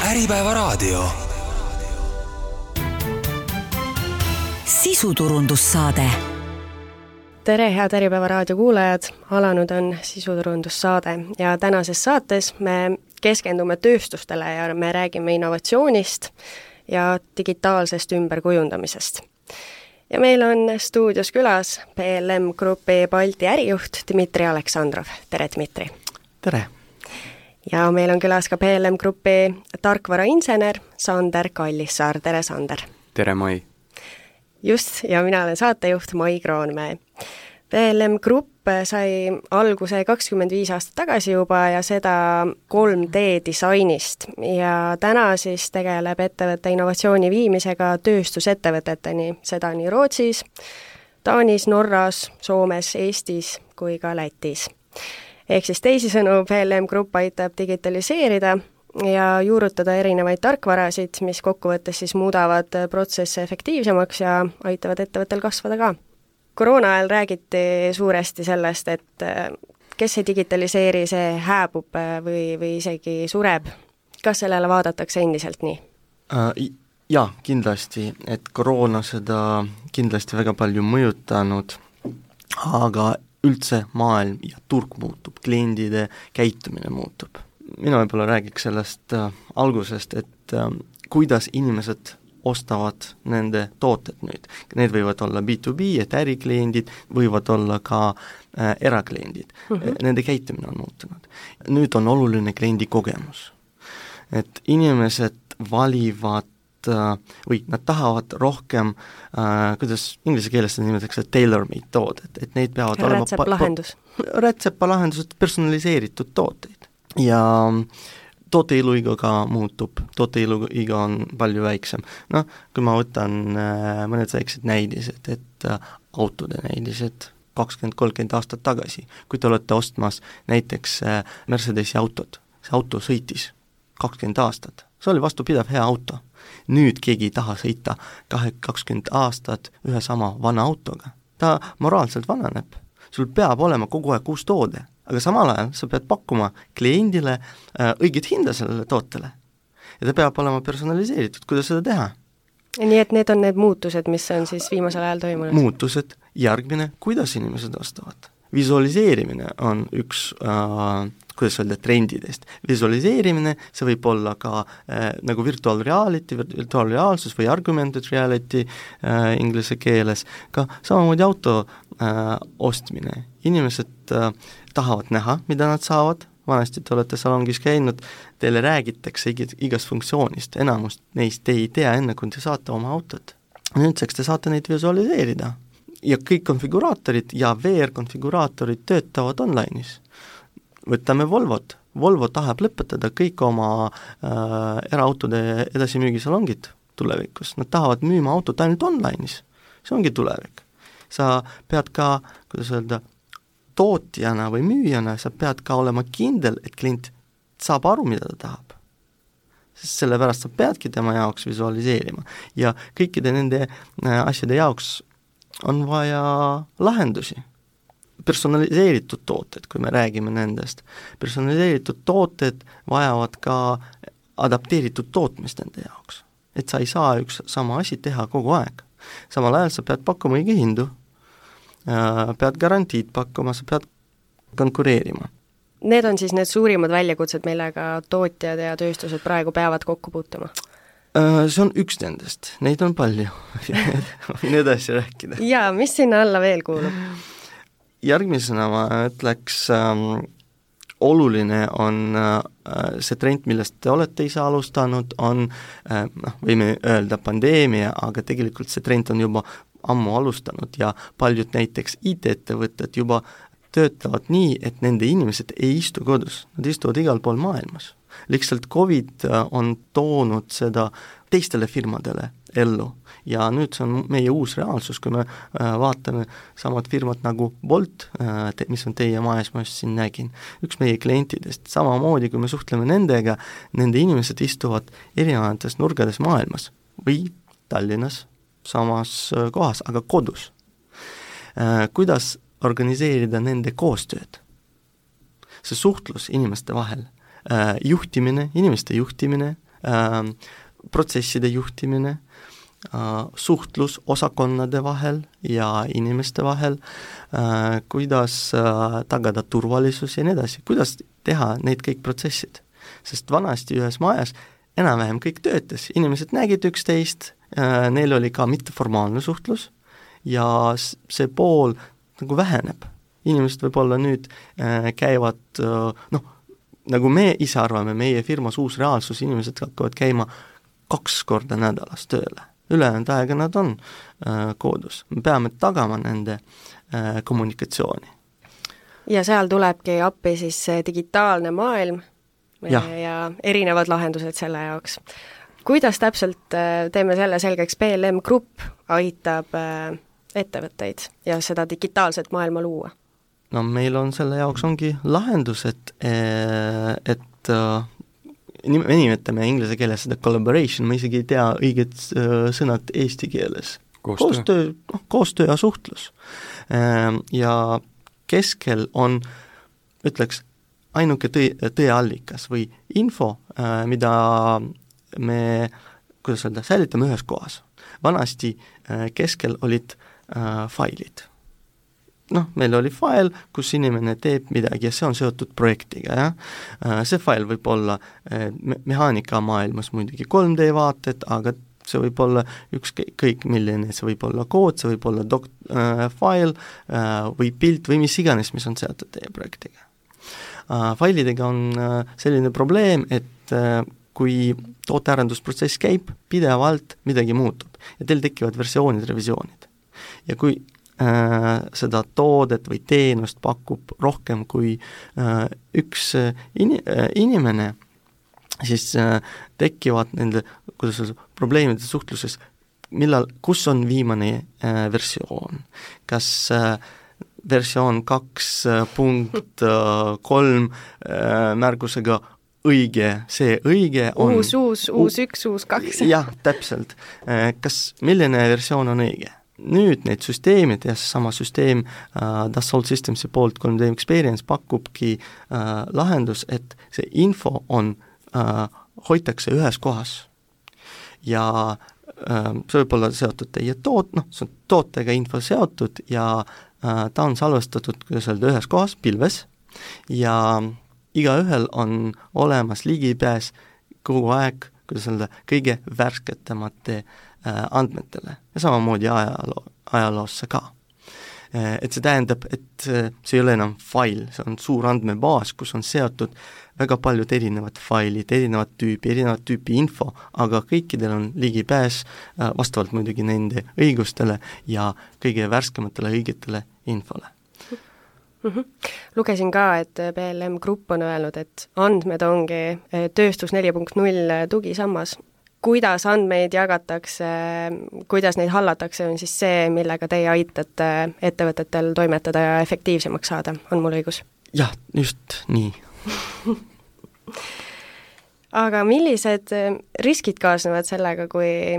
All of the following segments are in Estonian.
Äripäevaraadio. Sisuturundussaade. Tere, head Äripäevaraadio kuulajad! Alanud on sisuturundussaade ja tänases saates me keskendume tööstustele ja me räägime innovatsioonist ja digitaalsest ümberkujundamisest. Ja meil on stuudios külas PLM Grupi Balti ärijuht Dmitri Aleksandrov. Tere, Dmitri! Tere! Ja meil on külas ka PLM Grupi tarkvarainsener Sander Kallissaar. Tere, Sander! Tere, Mai! Just, ja mina olen saatejuht Mai Kroonmäe. PLM Grupp sai alguse 25 aastat tagasi juba ja seda 3D disainist ja täna siis tegeleb ettevõtte innovatsiooni viimisega tööstusettevõteteni, seda nii Rootsis, Taanis, Norras, Soomes, Eestis kui ka Lätis. Ehk siis teisisõnu PLM Grupp aitab digitaliseerida ja juurutada erinevaid tarkvarasid, mis kokkuvõttes siis muudavad protsesse efektiivsemaks ja aitavad ettevõttel kasvada ka. Koroona ajal räägiti suuresti sellest, et kes ei digitaliseeri, see hääbub või isegi sureb. Kas sellele vaadatakse endiselt nii? Jaa, kindlasti, et koroona seda kindlasti väga palju mõjutanud, aga üldse maailm ja turg muutub, kliendide käitumine muutub. Mina võib-olla räägiks sellest algusest, et kuidas inimesed ostavad nende tooted nüüd. Need võivad olla B2B, et ärikliendid, võivad olla ka erakliendid. Nende käitumine on muutunud. Nüüd on oluline kliendi kogemus. Et inimesed valivad või nad tahavad rohkem, kuidas inglise keeles nimetatakse tailor-made toodet, et neid peavad rätsepalahendused, personaliseeritud tooteid. Ja tooteiluiga ka muutub, tooteiluiga on palju väiksem. Kui ma võtan mõned väiksed näidised, et autode näidised 20-30 aastat tagasi, kui te olete ostmas näiteks Mercedesi autot, see auto sõitis 20 aastat, see oli vastupidav hea auto. Nüüd keegi ei taha sõita 20 aastat ühe sama vana autoga. Ta moraalselt vananeb. Sul peab olema kogu aeg uus toode, aga samal ajal sa pead pakkuma kliendile õiget hinda sellele tootele. Ja ta peab olema personaliseeritud, kuidas seda teha. Nii et need on need muutused, mis on siis viimasel ajal toimunud? Muutused, järgmine, kuidas inimesed ostavad. Visualiseerimine on üks kuidas öelda, trendidest. Visualiseerimine, see võib olla ka nagu virtual reality, virtuaalreaalsus või augmented reality inglise keeles, ka samamoodi auto ostmine. Inimesed tahavad näha, mida nad saavad, vanasti te olete salongis käinud, teile räägitakse igast funktsioonist, enamust neist te ei tea enne, kui te saate oma autot. Nüüdseks te saate neid visualiseerida. Ja kõik konfiguraatorid ja VR-konfiguraatorid töötavad online'is. Võtame Volvot. Volvo tahab lõpetada kõik oma eraautode edasimüügisalongid tulevikus. Nad tahavad müüma autot ainult online'is. See ongi tulevik. Sa pead ka, kuidas öelda, tootjana või müüjana, sa pead ka olema kindel, et klient saab aru, mida ta tahab. Sest sellepärast sa peadki tema jaoks visualiseerima. Ja kõikide nende asjade jaoks on vaja lahendusi. Personaliseeritud tooted, kui me räägime nendest. Personaliseeritud tooted vajavad ka adapteeritud tootmist nende jaoks. Et sa ei saa üks sama asi teha kogu aeg. Samal ajal sa pead pakkuma õige hindu, pead garantiid pakkuma, sa pead konkureerima. Need on siis need suurimad väljakutsed, millega tootjad ja tööstused praegu peavad kokku puutuma? See on üks nendest, neid on palju. Võin edasi rääkida. Jaa, mis sinna alla veel kuulub? Järgmisena ma ütleks, oluline on see trend, millest te olete ise alustanud, on, võime öelda pandeemia, aga tegelikult see trend on juba ammu alustanud ja paljud näiteks IT-ettevõtted juba töötavad nii, et nende inimesed ei istu kodus, nad istuvad igal pool maailmas. Lihtsalt COVID on toonud seda teistele firmadele ellu ja nüüd see on meie uus reaalsus, kui me vaatame samad firmad nagu Bolt, mis on teie majas, ma just siin nägin, üks meie klientidest, samamoodi kui me suhtleme nendega, nende inimesed istuvad erinevates nurgades maailmas või Tallinnas samas kohas, aga kodus. Kuidas organiseerida nende koostööd? See suhtlus inimeste vahel, juhtimine, inimeste juhtimine, protsesside juhtimine, suhtlus osakonnade vahel ja inimeste vahel, kuidas tagada turvalisus ja nii edasi, kuidas teha need kõik protsessid. Sest vanasti ühes majas enam-vähem kõik töötas, inimesed nägid üksteist, neil oli ka mitteformaalne suhtlus ja see pool nagu väheneb. Inimesed võib-olla nüüd käivad, nagu me ise arvame, meie firmas uus reaalsus, inimesed hakkavad käima 2 korda nädalas tööle. Ülejäänud aega nad on koodus. Me peame tagama nende kommunikatsiooni. Ja seal tulebki appi siis digitaalne maailm ja erinevad lahendused selle jaoks. Kuidas täpselt teeme selle selgeks, PLM Grupp aitab ettevõtteid ja seda digitaalset maailma luua? No meil on selle jaoks ongi lahendus, et me nimetame inglise keeles seda collaboration, ma isegi ei tea õiget sõnad eesti keeles. Koostöö ja suhtlus. Ja keskel on, ütleks, ainuke tõeallikas või info, mida me, kuidas öelda, säilitame ühes kohas. Vanasti keskel olid failid. Meil oli fail, kus inimene teeb midagi ja see on seotud projektiga, jah. See fail võib olla mehaanika maailmas muidugi 3D vaated, aga see võib olla ükskõik milline, see võib olla kood, see võib olla fail või pilt või mis iganes, mis on seotud teie projektiga. Failidega on selline probleem, et kui tootearendusprotsess käib, pidevalt midagi muutub ja teil tekivad versioonid, revisioonid. Ja kui seda toodet või teenust pakub rohkem kui üks inimene, siis tekivad nende probleemide suhtluses, kus on viimane versioon. Kas versioon 2.3 märgusega õige, see õige on... Uus 1, uus 2. Jah, täpselt. Milline versioon on õige? Nüüd need süsteemid ja sama süsteem Dassault Systemsi poolt 3D Experience pakubki lahendus, et see info on, hoitakse ühes kohas ja see võib olla seotud teie see on tootega info seotud ja ta on salvestatud, kuidas öelda, ühes kohas, pilves ja igaühel on olemas ligipääs kogu aeg, kuidas öelda, kõige värsketemate andmetele ja samamoodi ajaloosse ka. Et see tähendab, et see ei ole enam fail, see on suur andmebaas, kus on seotud väga paljud erinevad failid, erinevad tüüpi info, aga kõikidel on ligipääs vastavalt muidugi nende õigustele ja kõige värskematele õigetele infole. Lugesin ka, et PLM Grupp on öelnud, et andmed ongi tööstus 4.0 tugisammas. Kuidas andmeid jagatakse, kuidas neid hallatakse, on siis see, millega teie aitate ettevõtetel toimetada ja efektiivsemaks saada, on mul õigus? Jah, just nii. Aga millised riskid kaasnevad sellega, kui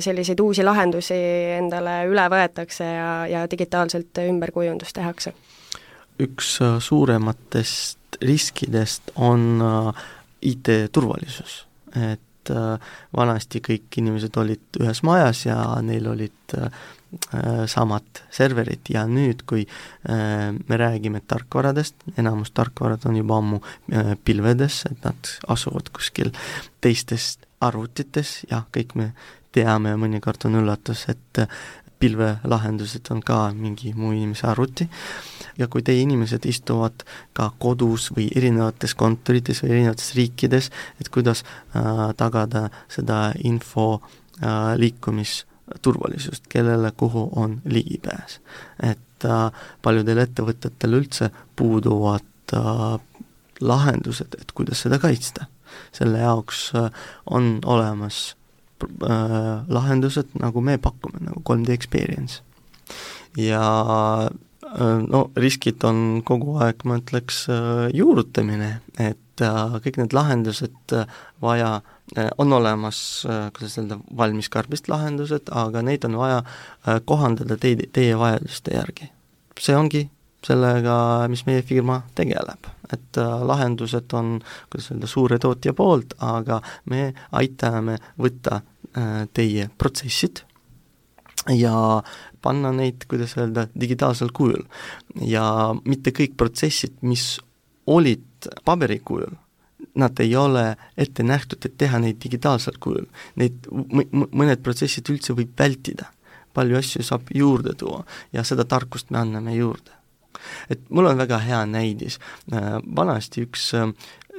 selliseid uusi lahendusi endale üle võetakse ja digitaalselt ümberkujundus tehakse? Üks suurematest riskidest on IT-turvalisus, et vanasti kõik inimesed olid ühes majas ja neil olid samad serverid ja nüüd, kui me räägime tarkvaradest, enamus tarkvarad on juba ammu pilvedes, et nad asuvad kuskil teistest arvutites ja kõik me teame, mõnikord on üllatus, et pilvelahendused on ka mingi muu inimese arvuti ja kui teie inimesed istuvad ka kodus või erinevates kontorites või erinevates riikides, et kuidas tagada seda info liikumisturvalisust, kellele kuhu on ligipääs. Et paljudel ettevõtetel üldse puuduvad lahendused, et kuidas seda kaitsta. Selle jaoks on olemas lahendused, nagu me pakume, nagu 3D Experience. Ja riskid on kogu aeg, ma ütleks, juurutamine, et kõik need lahendused on olemas, kuidas öelda, valmis karbist lahendused, aga neid on vaja kohandada teie vajaduste järgi. See ongi sellega, mis meie firma tegeleb. Et lahendused on, kuidas öelda, suure tootja poolt, aga me aitame võtta teie protsessid ja panna neid, kuidas öelda, digitaalsel kujul. Ja mitte kõik protsessid, mis olid paberi kujul, nad ei ole ette nähtud, et teha neid digitaalsel kujul. Neid mõned protsessid üldse võib vältida. Palju asju saab juurde tuua ja seda tarkust me anname juurde. Et mul on väga hea näidis. Vanasti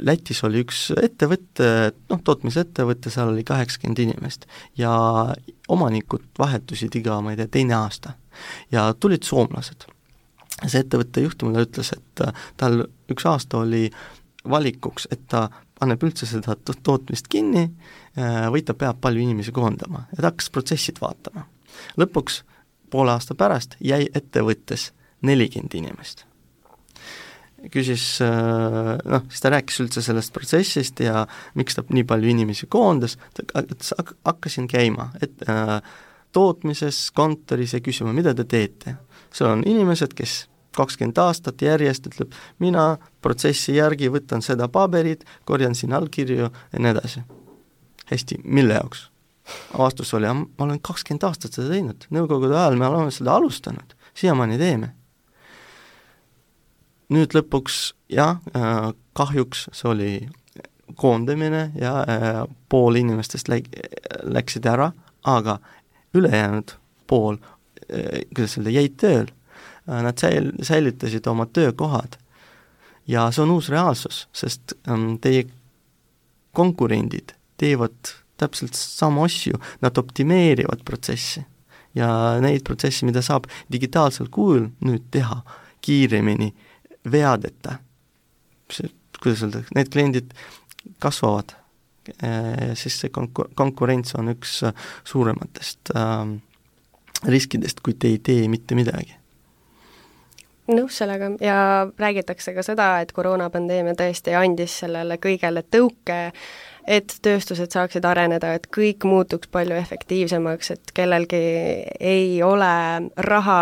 Lätis oli üks ettevõtte, tootmisettevõtte, seal oli 80 inimest ja omanikud vahetusid iga, ma ei tea, 2 aasta ja tulid soomlased. See ettevõtte juht mulle ütles, et tal 1 aasta oli valikuks, et ta paneb üldse seda tootmist kinni või ta peab palju inimesi koondama ja ta hakkas protsessid vaatama. Lõpuks 5 aasta pärast jäi ettevõttes 40 inimest. Küsis, siis ta rääkis üldse sellest protsessist ja miks ta nii palju inimesi koondas, hakkasin käima, et tootmises, kontoris ja küsima, mida te teete. Seal on inimesed, kes 20 aastat järjest ütleb, mina protsessi järgi võtan seda paberit, korjan siin allkirju ja nii edasi. Hästi, mille jaoks? Vastus oli, ma olen 20 aastat seda teinud, nõukogude ajal me oleme seda alustanud, siiamaani teeme. Nüüd lõpuks, kahjuks see oli koondamine ja pool inimestest läksid ära, aga ülejäänud pool, kuidas öelda, jäid tööl. Nad säilitasid oma töökohad ja see on uus reaalsus, sest teie konkurendid teevad täpselt sama asju, nad optimeerivad protsessi ja neid protsessi, mida saab digitaalsel kujul nüüd teha kiiremini, veadeta, kuidas öelda, need kliendid kasvavad, siis see konkurents on üks suurematest riskidest, kui te ei tee mitte midagi. Nõus sellega ja räägitakse ka seda, et koroonapandeemia tõesti andis sellele kõigele tõuke, et tööstused saaksid areneda, et kõik muutuks palju efektiivsemaks, et kellelgi ei ole raha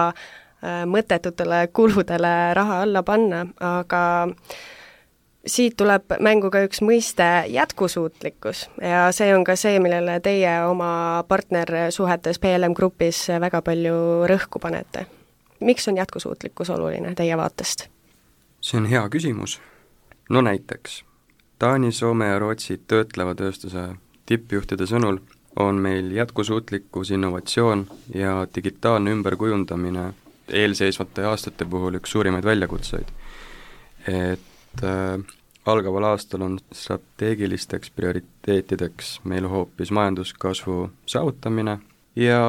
mõttetutele kuludele raha alla panna, aga siit tuleb mängu ka üks mõiste jätkusuutlikkus ja see on ka see, millele teie oma partnersuhetes PLM Grupis väga palju rõhku panete. Miks on jätkusuutlikkus oluline teie vaatest? See on hea küsimus. No näiteks, Taani, Soome ja Rootsi töötleva tööstuse tippjuhtide sõnul on meil jätkusuutlikkus, innovatsioon ja digitaalne ümberkujundamine eelseisvate aastate puhul üks suurimaid väljakutseid. Et algaval aastal on strateegilisteks prioriteetideks meil hoopis majanduskasvu saavutamine ja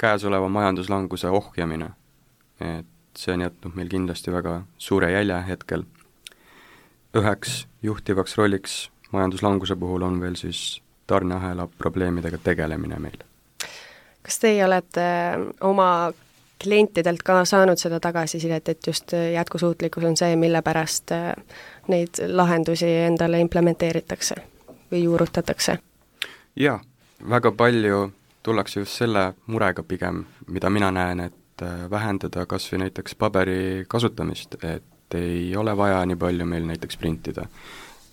käesoleva majanduslanguse ohjamine. Et see on jätnud meil kindlasti väga suure jälje hetkel. Üheks juhtivaks rolliks majanduslanguse puhul on veel siis tarneahela probleemidega tegelemine meil. Kas teie olete oma klientidelt ka saanud seda tagasisidet, et just jätkusuutlikkus on see, mille pärast neid lahendusi endale implementeeritakse või juurutatakse? Jaa, väga palju tullakse just selle murega pigem, mida mina näen, et vähendada kas või näiteks paberi kasutamist, et ei ole vaja nii palju meil näiteks printida.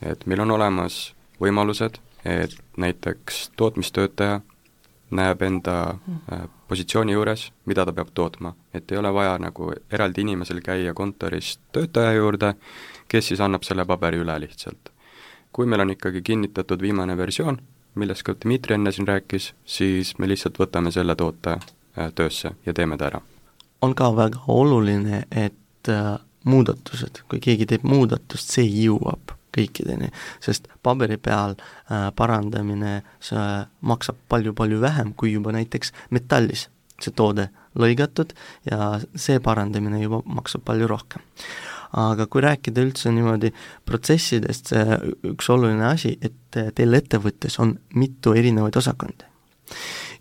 Et meil on olemas võimalused, et näiteks tootmistöötaja näeb enda positsiooni juures, mida ta peab tootma. Et ei ole vaja nagu eraldi inimesel käia kontorist töötaja juurde, kes siis annab selle paberi üle lihtsalt. Kui meil on ikkagi kinnitatud viimane versioon, millest ka Dmitri enne siin rääkis, siis me lihtsalt võtame selle toote töösse ja teeme ta ära. On ka väga oluline, et muudatused, kui keegi teeb muudatust, see jõuab kõikideni, sest paberi peal parandamine see maksab palju vähem kui juba näiteks metallis see toode lõigatud ja see parandamine juba maksab palju rohkem. Aga kui rääkida üldse niimoodi protsessidest, see üks oluline asi, et teil ettevõttes on mitu erinevaid osakondi.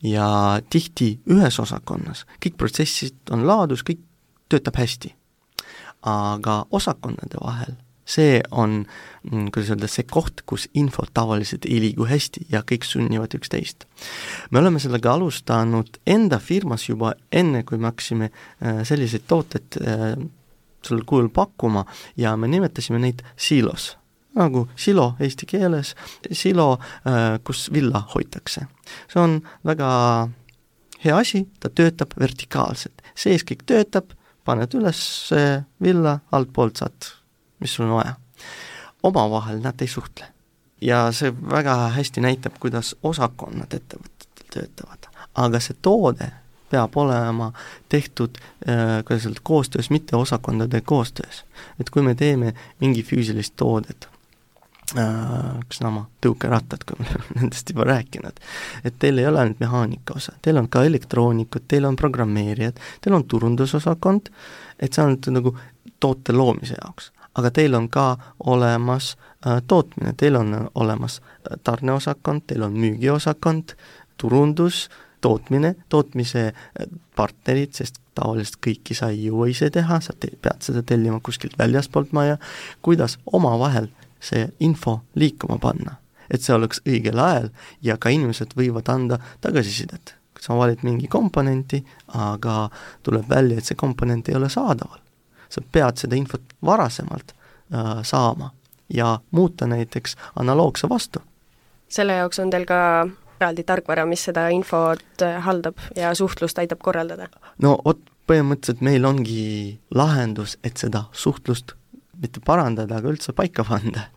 Ja tihti ühes osakonnas kõik protsessid on laadus, kõik töötab hästi. Aga osakonnade vahel see on, kuidas öelda, see koht, kus info tavaliselt ei liigu hästi ja kõik sunnivad üksteist. Me oleme sellega alustanud enda firmas juba enne, kui me hakkasime selliseid tooted sellel kujul pakkuma ja me nimetasime neid silos. Nagu silo eesti keeles, silo, kus villa hoitakse. See on väga hea asi, ta töötab vertikaalselt. Sees kõik töötab, paned üles villa, altpoolt saad, mis sul on vaja. Omavahel nad ei suhtle. Ja see väga hästi näitab, kuidas osakonnad ettevõtted töötavad. Aga see toode peab olema tehtud koostöös, mitte osakondade koostöös. Et kui me teeme mingi füüsilist toodet, tõukerattad, kui me nendest juba rääkinud, et teil ei ole ainult mehaanika osa, teil on ka elektroonikud, teil on programmeerijad, teil on turundusosakond, et see on nagu toote loomise jaoks. Aga teil on ka olemas tootmine, teil on olemas tarneosakond, teil on müügiosakond, turundus, tootmine, tootmise partnerid, sest tavaliselt kõiki sa ei jõua ise teha, sa pead seda tellima kuskilt väljaspoolt maja, kuidas omavahel see info liikuma panna, et see oleks õigel ajal ja ka inimesed võivad anda tagasisidet. Sa valid mingi komponenti, aga tuleb välja, et see komponent ei ole saadaval. Sa pead seda infot varasemalt saama ja muuta näiteks analoogse vastu. Selle jaoks on teil ka eraldi tarkvara, mis seda infot haldab ja suhtlust aitab korraldada? No põhimõtteliselt meil ongi lahendus, et seda suhtlust mitte parandada, aga üldse paika panda.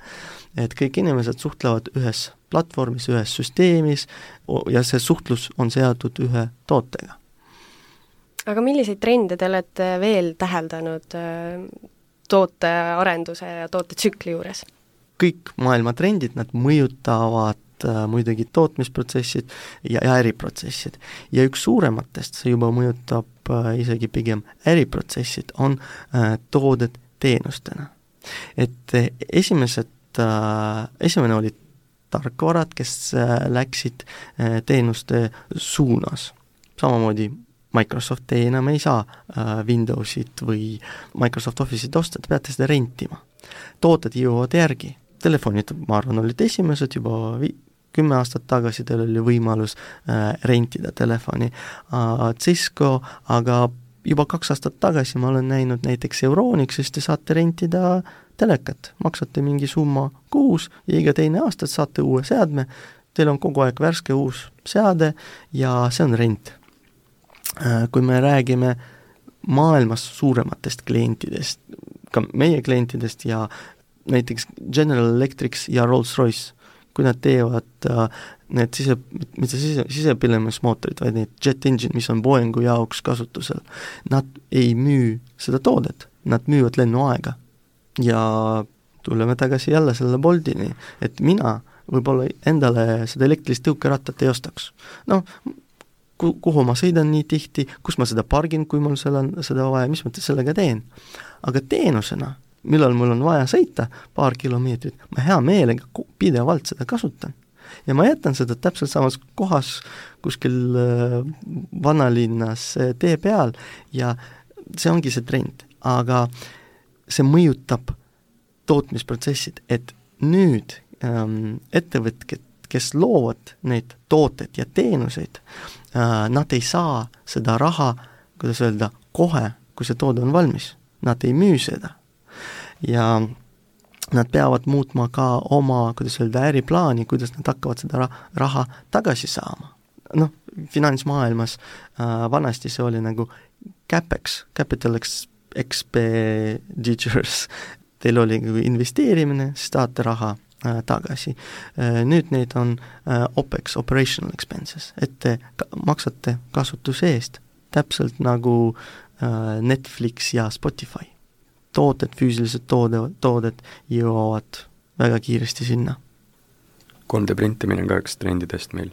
Et kõik inimesed suhtlevad ühes platvormis, ühes süsteemis ja see suhtlus on seatud ühe tootega. Aga milliseid trende te olete veel täheldanud tootearenduse ja tootetsükli juures? Kõik maailma trendid, nad mõjutavad muidugi tootmisprotsessid ja äriprotsessid. Ja üks suurematest, see juba mõjutab isegi pigem äriprotsessid, on toodet teenustena. Et esimene oli tarkvarad, kes läksid teenuste suunas. Samamoodi Microsoft enam ei saa Windowsit või Microsoft Office'it osta, te peate seda rentima. Tooted jõuavad järgi. Telefonid, ma arvan, olid esimesed juba 10 aastat tagasi, teil oli võimalus rentida telefoni Cisco, aga juba 2 aastat tagasi ma olen näinud näiteks Euronixis, te saate rentida telekat, maksate mingi summa kuus ja iga teine aastat saate uue seadme, teil on kogu aeg värske uus seade ja see on rent. Kui me räägime maailmas suurematest klientidest, ka meie klientidest ja näiteks General Electrics ja Rolls-Royce, kui nad teevad need sisepõlemismootorid, vaid need jet engine, mis on Boeingu jaoks kasutusel, nad ei müü seda toodet, nad müüvad lennuaega. Ja tuleme tagasi jälle selle Boltini, et mina võib-olla endale seda elektrilist tõukerattat ei ostaks. Kuhu ma sõidan nii tihti, kus ma seda pargin, kui mul seda vaja, mis ma sellega teen. Aga teenusena, millal mul on vaja sõita paar kilomeetrit, ma hea meelega pidevalt seda kasutan. Ja ma jätan seda täpselt samas kohas kuskil vanalinnas tee peal ja see ongi see trend. Aga see mõjutab tootmisprotsessid, et nüüd ettevõtted, kes loovad neid tooted ja teenuseid, nad ei saa seda raha, kuidas öelda, kohe, kui see toode on valmis. Nad ei müü seda. Ja nad peavad muutma ka oma, kuidas öelda, äriplaani, kuidas nad hakkavad seda raha tagasi saama. Finantsmaailmas vanasti see oli nagu CapEx, Capital Expenditures. Teil oli investeerimine, siis tahate raha tagasi. Nüüd neid on OPEX, Operational Expenses, et te maksate kasutuse eest, täpselt nagu Netflix ja Spotify. Tooted, füüsilised toodet jõuavad väga kiiresti sinna. 3D printimine on ka üks trendidest meil.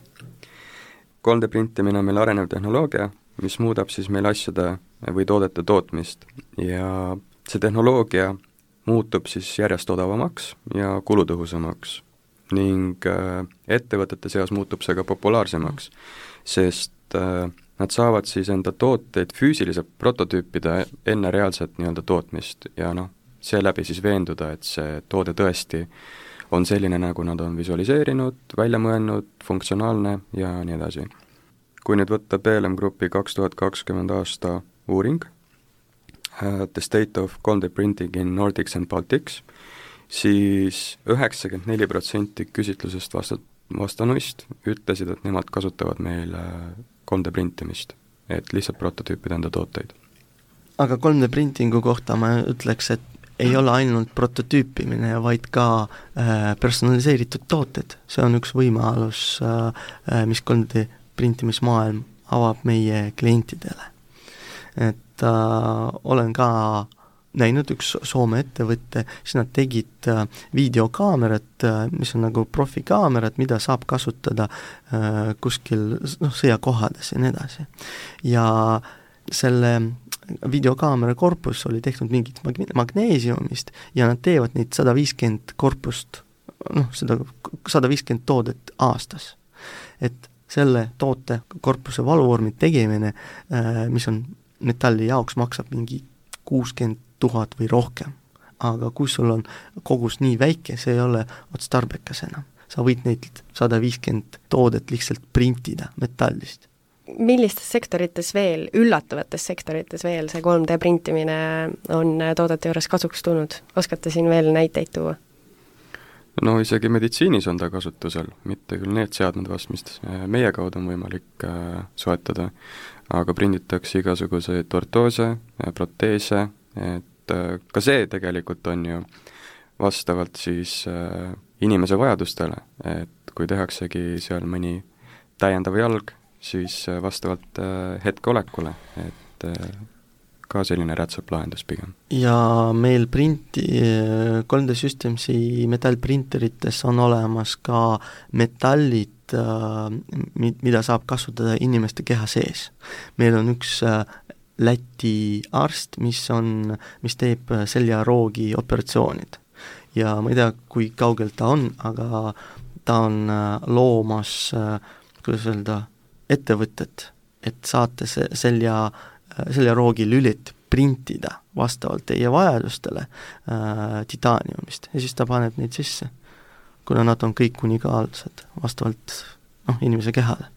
3D printimine on meil arenev tehnoloogia, mis muudab siis meil asjade või toodete tootmist ja see tehnoloogia muutub siis järjest odavamaks ja kulutõhusamaks ning ettevõtete seas muutub see ka populaarsemaks, sest nad saavad siis enda tooteid füüsiliselt prototüüpida enne reaalset nii-öelda tootmist ja seeläbi siis veenduda, et see toode tõesti on selline, nagu nad on visualiseerinud, välja mõelnud, funktsionaalne ja nii edasi. Kui nüüd võtta PLM Grupi 2020 aasta uuring, The State of 3D Printing in Nordics and Baltics, siis 94% küsitlusest vastanuist ütlesid, et nemad kasutavad meil 3D printimist, et lihtsalt prototüüpida enda tooteid. Aga 3D printingu kohta ma ütleks, et ei ole ainult prototüüpimine, vaid ka personaliseeritud tooted. See on üks võimalus, mis 3D printimismaailm avab meie klientidele. Et olen ka näinud üks Soome ettevõtte, siis nad tegid videokaamerat, mis on nagu profikaamerat, mida saab kasutada kuskil sõjakohades ja nii edasi. Ja selle videokaamera korpus oli tehtud mingit magneesiumist ja nad teevad neid 150 korpust, seda 150 toodet aastas. Et selle toote korpuse valuvormi tegemine, mis on metalli jaoks, maksab mingi 60 000 või rohkem. Aga kui sul on kogus nii väike, see ei ole otstarbekas enam. Sa võid neid 150 toodet lihtsalt printida metallist. Millistes sektorites veel, üllatavates sektorites veel see 3D printimine on toodete juures kasuks tulnud? Oskate siin veel näiteid tuua? No isegi meditsiinis on ta kasutusel, mitte küll need seadmed vast, mis meie kaudu on võimalik soetada, aga prinditakse igasuguseid ortoose, proteese, et ka see tegelikult on ju vastavalt siis inimese vajadustele, et kui tehaksegi seal mõni täiendav jalg, siis vastavalt hetkeolekule, et ka selline rätsaplahendus pigem. Ja meil 3D Systemsi metallprinterites on olemas ka metallid, mida saab kasutada inimeste keha sees. Meil on üks Läti arst, mis teeb seljaroogi operatsioonid. Ja ma ei tea, kui kaugel ta on, aga ta on loomas, kuidas öelda, ettevõtted, et saate seljaroogi lülit printida vastavalt teie vajadustele titaaniumist ja siis ta paneb neid sisse, kuna nad on kõik unikaalsed vastavalt inimese kehale.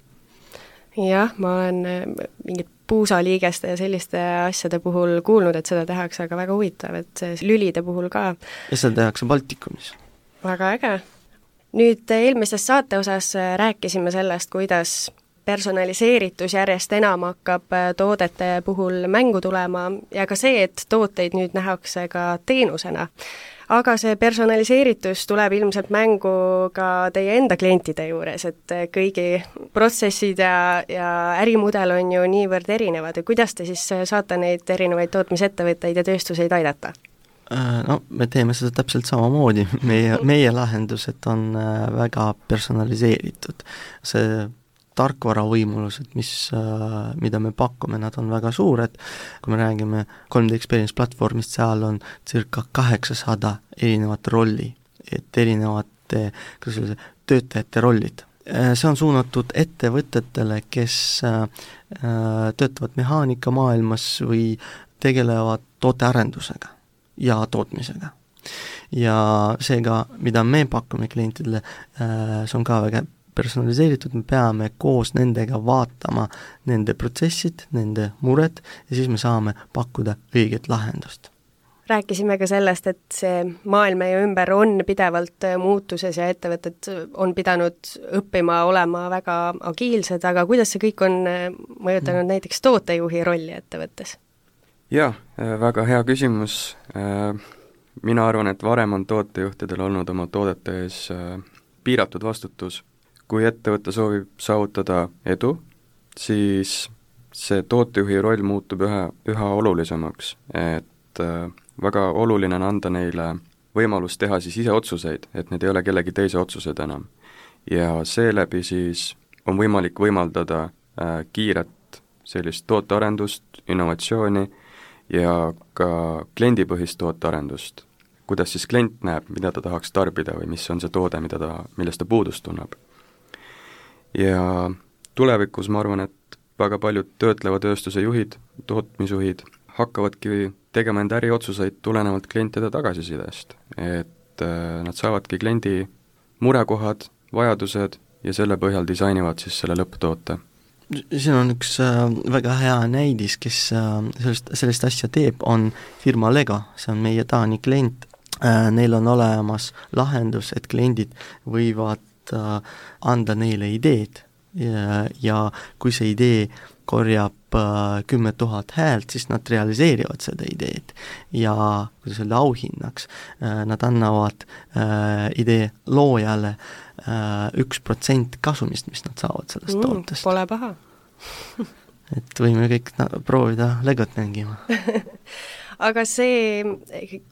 Jah, ma olen mingit puusaliigeste ja selliste asjade puhul kuulnud, et seda tehakse, aga väga huvitav, et see lülide puhul ka. Ja seda tehakse Baltikumis. Väga äge. Nüüd eelmises saate osas rääkisime sellest, kuidas personaliseeritus järjest enam hakkab toodete puhul mängu tulema ja ka see, et tooteid nüüd nähakse ka teenusena. Aga see personaliseeritus tuleb ilmselt mängu ka teie enda klientide juures, et kõigi protsessid ja ärimudel on ju niivõrd erinevad ja kuidas te siis saate neid erinevaid tootmisettevõtteid ja tööstuseid aidata? No, me teeme seda täpselt samamoodi. Meie lahendused on väga personaliseeritud. See tarkvaravõimulused, mida me pakume, nad on väga suured. Kui me räägime 3D Experience platvormist, seal on circa 800 erinevat rolli, et erinevate töötajate rollid. See on suunatud ettevõtetele, kes töötavad mehaanika maailmas või tegelevad tootearendusega ja tootmisega. Ja seega, mida me pakume klientidele, see on ka väga personaliseeritud, me peame koos nendega vaatama nende protsessid, nende mured ja siis me saame pakkuda õiget lahendust. Rääkisime ka sellest, et see maailm meie ümber on pidevalt muutuses ja ettevõtted on pidanud õppima olema väga agiilsed, aga kuidas see kõik on mõjutanud näiteks tootejuhi rolli ettevõttes? Jah, väga hea küsimus. Mina arvan, et varem on tootejuhtidel olnud oma toodete ees piiratud vastutus. Kui ettevõte soovib saavutada edu, siis see tootejuhi roll muutub üha olulisemaks, et väga oluline on anda neile võimalus teha siis ise otsuseid, et need ei ole kellegi teise otsused enam. Ja seeläbi siis on võimalik võimaldada kiiret sellist tootearendust, innovatsiooni ja ka kliendipõhist tootearendust. Kuidas siis klient näeb, mida ta tahaks tarbida või mis on see toode, millest ta puudust tunneb. Ja tulevikus ma arvan, et väga paljud töötleva tööstuse juhid, tootmisjuhid hakkavadki tegema enda äriotsuseid tulenevalt klientide tagasisidest, et nad saavadki kliendi murekohad, vajadused ja selle põhjal disainivad siis selle lõpptoote. siin on üks väga hea näidis, kes sellist asja teeb, on firma Lego, see on meie Taani klient. Neil on olemas lahendus, et kliendid võivad anda neile ideed ja kui see idee korjab 10 000 häält, siis nad realiseerivad seda ideed ja kuidas öelda auhinnaks, nad annavad idee loojale 1% kasumist, mis nad saavad sellest tootest. Pole paha. Et võime kõik proovida Legot mängima. Aga see,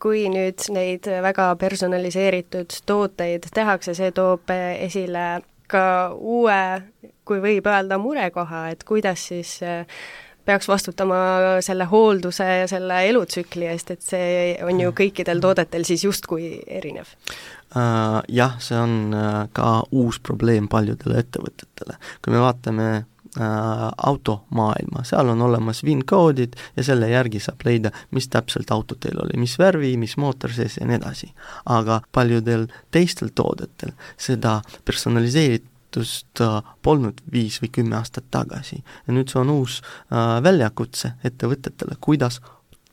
kui nüüd neid väga personaliseeritud tooteid tehakse, see toob esile ka uue, kui võib öelda, murekoha, et kuidas siis peaks vastutama selle hoolduse ja selle elutsükli eest, et see on ju kõikidel toodetel siis justkui erinev. Jah, see on ka uus probleem paljudele ettevõtetele. Kui me vaatame automaailma, seal on olemas VIN-koodid ja selle järgi saab leida, mis täpselt auto teil oli, mis värvi, mis mootor sees ja nii edasi. Aga paljudel teistel toodetel seda personaliseeritust polnud 5 või 10 aastat tagasi. Ja nüüd see on uus väljakutse ettevõtetele, kuidas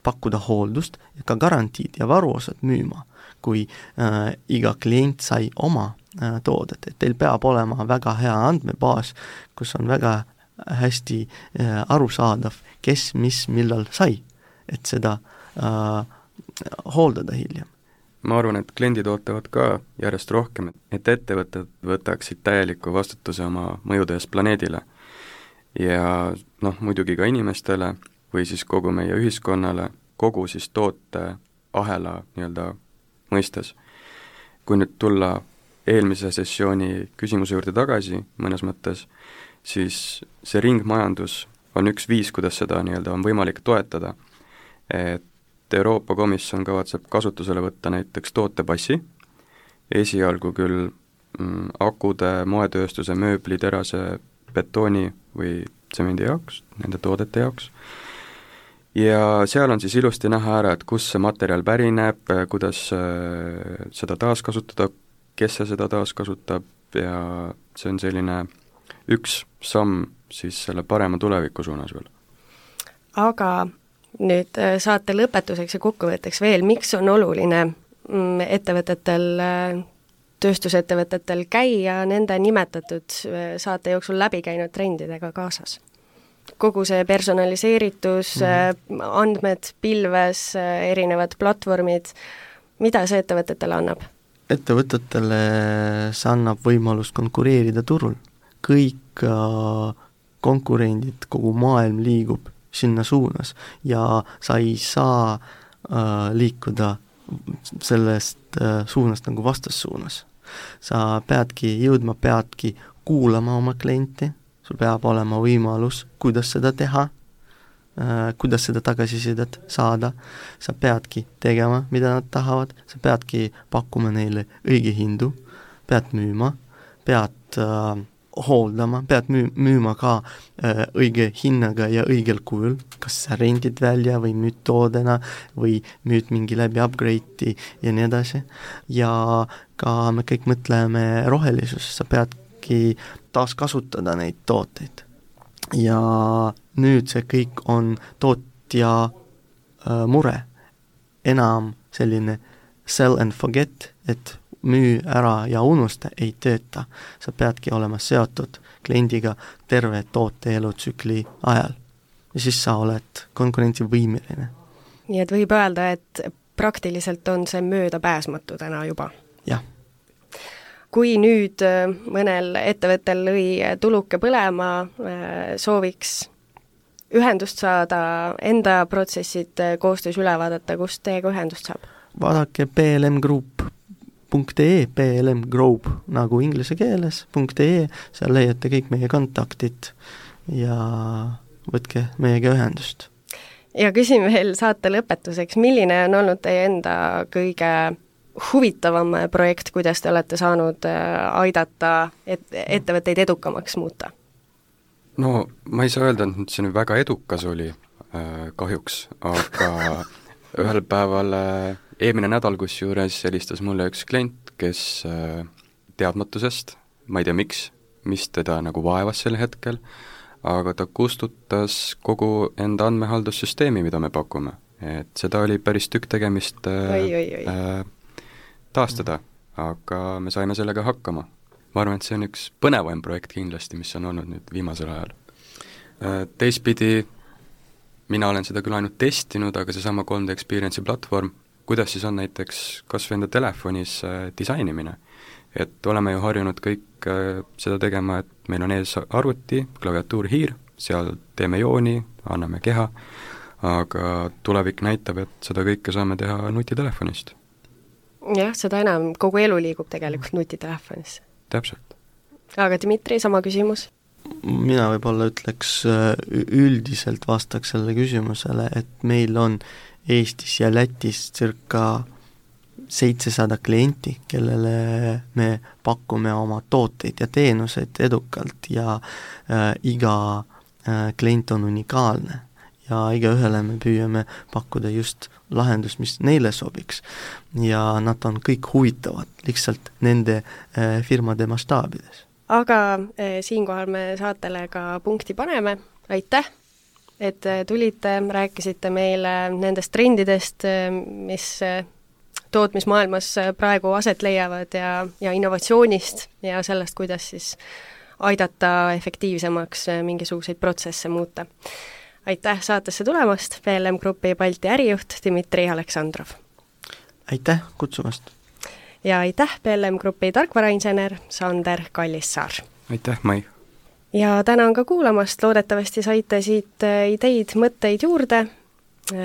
pakkuda hooldust ja ka garantiid ja varuosad müüma, kui iga klient sai oma toodet, et teil peab olema väga hea andmebaas, kus on väga hästi arusaadav, kes, mis, millal sai, et seda hooldada hiljem. Ma arvan, et kliendid ootavad ka järjest rohkem, et ettevõtted võtaksid täieliku vastutuse oma mõjude eest planeedile. Ja muidugi ka inimestele või siis kogu meie ühiskonnale, kogu siis toote ahela nii-öelda mõistes. Kui nüüd tulla eelmise sessiooni küsimuse juurde tagasi mõnes mõttes, siis see ringmajandus on üks viis, kuidas seda nii-öelda on võimalik toetada. Et Euroopa Komisjon kavatseb kasutusele võtta näiteks tootepassi, esialgu küll akude, moetööstuse, mööbli, terase, betooni või tsemendi jaoks, nende toodete jaoks. Ja seal on siis ilusti näha ära, et kus see materjal pärineb, kuidas seda taaskasutada, kes seda taaskasutab ja see on selline üks samm siis selle parema tuleviku suunas veel. Aga nüüd saate lõpetuseks ja kokkuvõtteks veel, miks on oluline ettevõtetel, tööstusettevõtetel käia nende nimetatud saate jooksul läbi käinud trendidega kaasas? Kogu see personaliseeritus, andmed pilves, erinevad platvormid, mida see ettevõtetele annab? Ettevõtetele see annab võimalust konkureerida turul. Kõik konkurendid, kogu maailm liigub sinna suunas ja sa ei saa liikuda sellest suunast nagu vastassuunas. Sa peadki jõudma, peadki kuulama oma klienti, sul peab olema võimalus, kuidas seda teha, kuidas seda tagasisidet saada, sa peadki tegema, mida nad tahavad, sa peadki pakkuma neile õige hindu, pead müüma, pead hooldama, pead müüma ka õige hinnaga ja õigel kujul, kas sa rendid välja või müüd toodena või müüd mingi läbi upgrade'i ja nii edasi. Ja ka me kõik mõtleme rohelisus, sa peadki taaskasutada neid tooteid. Ja nüüd see kõik on tootja mure, enam selline sell and forget, et müü ära ja unusta ei tööta. Sa peadki olema seotud kliendiga terve toote elutsükli ajal. Ja siis sa oled konkurentsivõimeline. Nii et võib öelda, et praktiliselt on see möödapääsmatu täna juba. Jah. Kui nüüd mõnel ettevõttel lõi tuluke põlema, sooviks ühendust saada, enda protsessid koostöös üle vaadata, kust teiega ühendust saab? Vaadake plmgroup.ee, PLM Group nagu inglise keeles, .ee, seal leiate kõik meie kontaktid ja võtke meiega ühendust. Ja küsin veel saate lõpetuseks, milline on olnud teie enda kõige huvitavam projekt, kuidas te olete saanud aidata ettevõtteid edukamaks muuta? No ma ei saa öelda, et see nüüd väga edukas oli kahjuks, aga ühel päeval eelmine nädal kusjuures helistas mulle üks klient, kes teadmatusest, ma ei tea miks, mis teda nagu vaevas sel hetkel, aga ta kustutas kogu enda andmehaldussüsteemi, mida me pakume. Et seda oli päris tükk tegemist taastada, aga me saime sellega hakkama. Ma arvan, et see on üks põnevaim projekt kindlasti, mis on olnud nüüd viimasel ajal. Teistpidi, mina olen seda küll ainult testinud, aga seesama 3D Experience'i platvorm, kuidas siis on näiteks kas või enda telefonis disainimine. Et oleme ju harjunud kõik seda tegema, et meil on ees arvuti, klaviatuur, hiir, seal teeme jooni, anname keha, aga tulevik näitab, et seda kõike saame teha nutitelefonist. Jah, seda enam, kogu elu liigub tegelikult nutitelefonisse. Täpselt. Aga Dmitri, sama küsimus? Mina võib-olla ütleks üldiselt vastaks selle küsimusele, et meil on Eestis ja Lätis circa 700 klienti, kellele me pakume oma tooteid ja teenuseid edukalt ja iga klient on unikaalne ja igaühele me püüame pakkuda just lahendus, mis neile sobiks. Ja nad on kõik huvitavad lihtsalt nende firmade mastaabides. Aga siinkohal me saatele ka punkti paneme. Aitäh, et tulite, rääkisite meile nendest trendidest, mis tootmismaailmas praegu aset leiavad ja innovatsioonist ja sellest, kuidas siis aidata efektiivsemaks mingisuguseid protsesse muuta. Aitäh saatesse tulemast, PLM Grupi Balti ärijuht Dmitri Aleksandrov. Aitäh kutsumast! Ja aitäh PLM Grupi tarkvarainsener Sander Kallissaar! Aitäh, Mai! Ja tänan ka kuulamast, loodetavasti saite siit ideid, mõtteid juurde.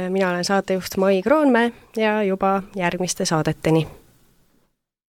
Mina olen saatejuht Mai Kroonmäe ja juba järgmiste saadeteni!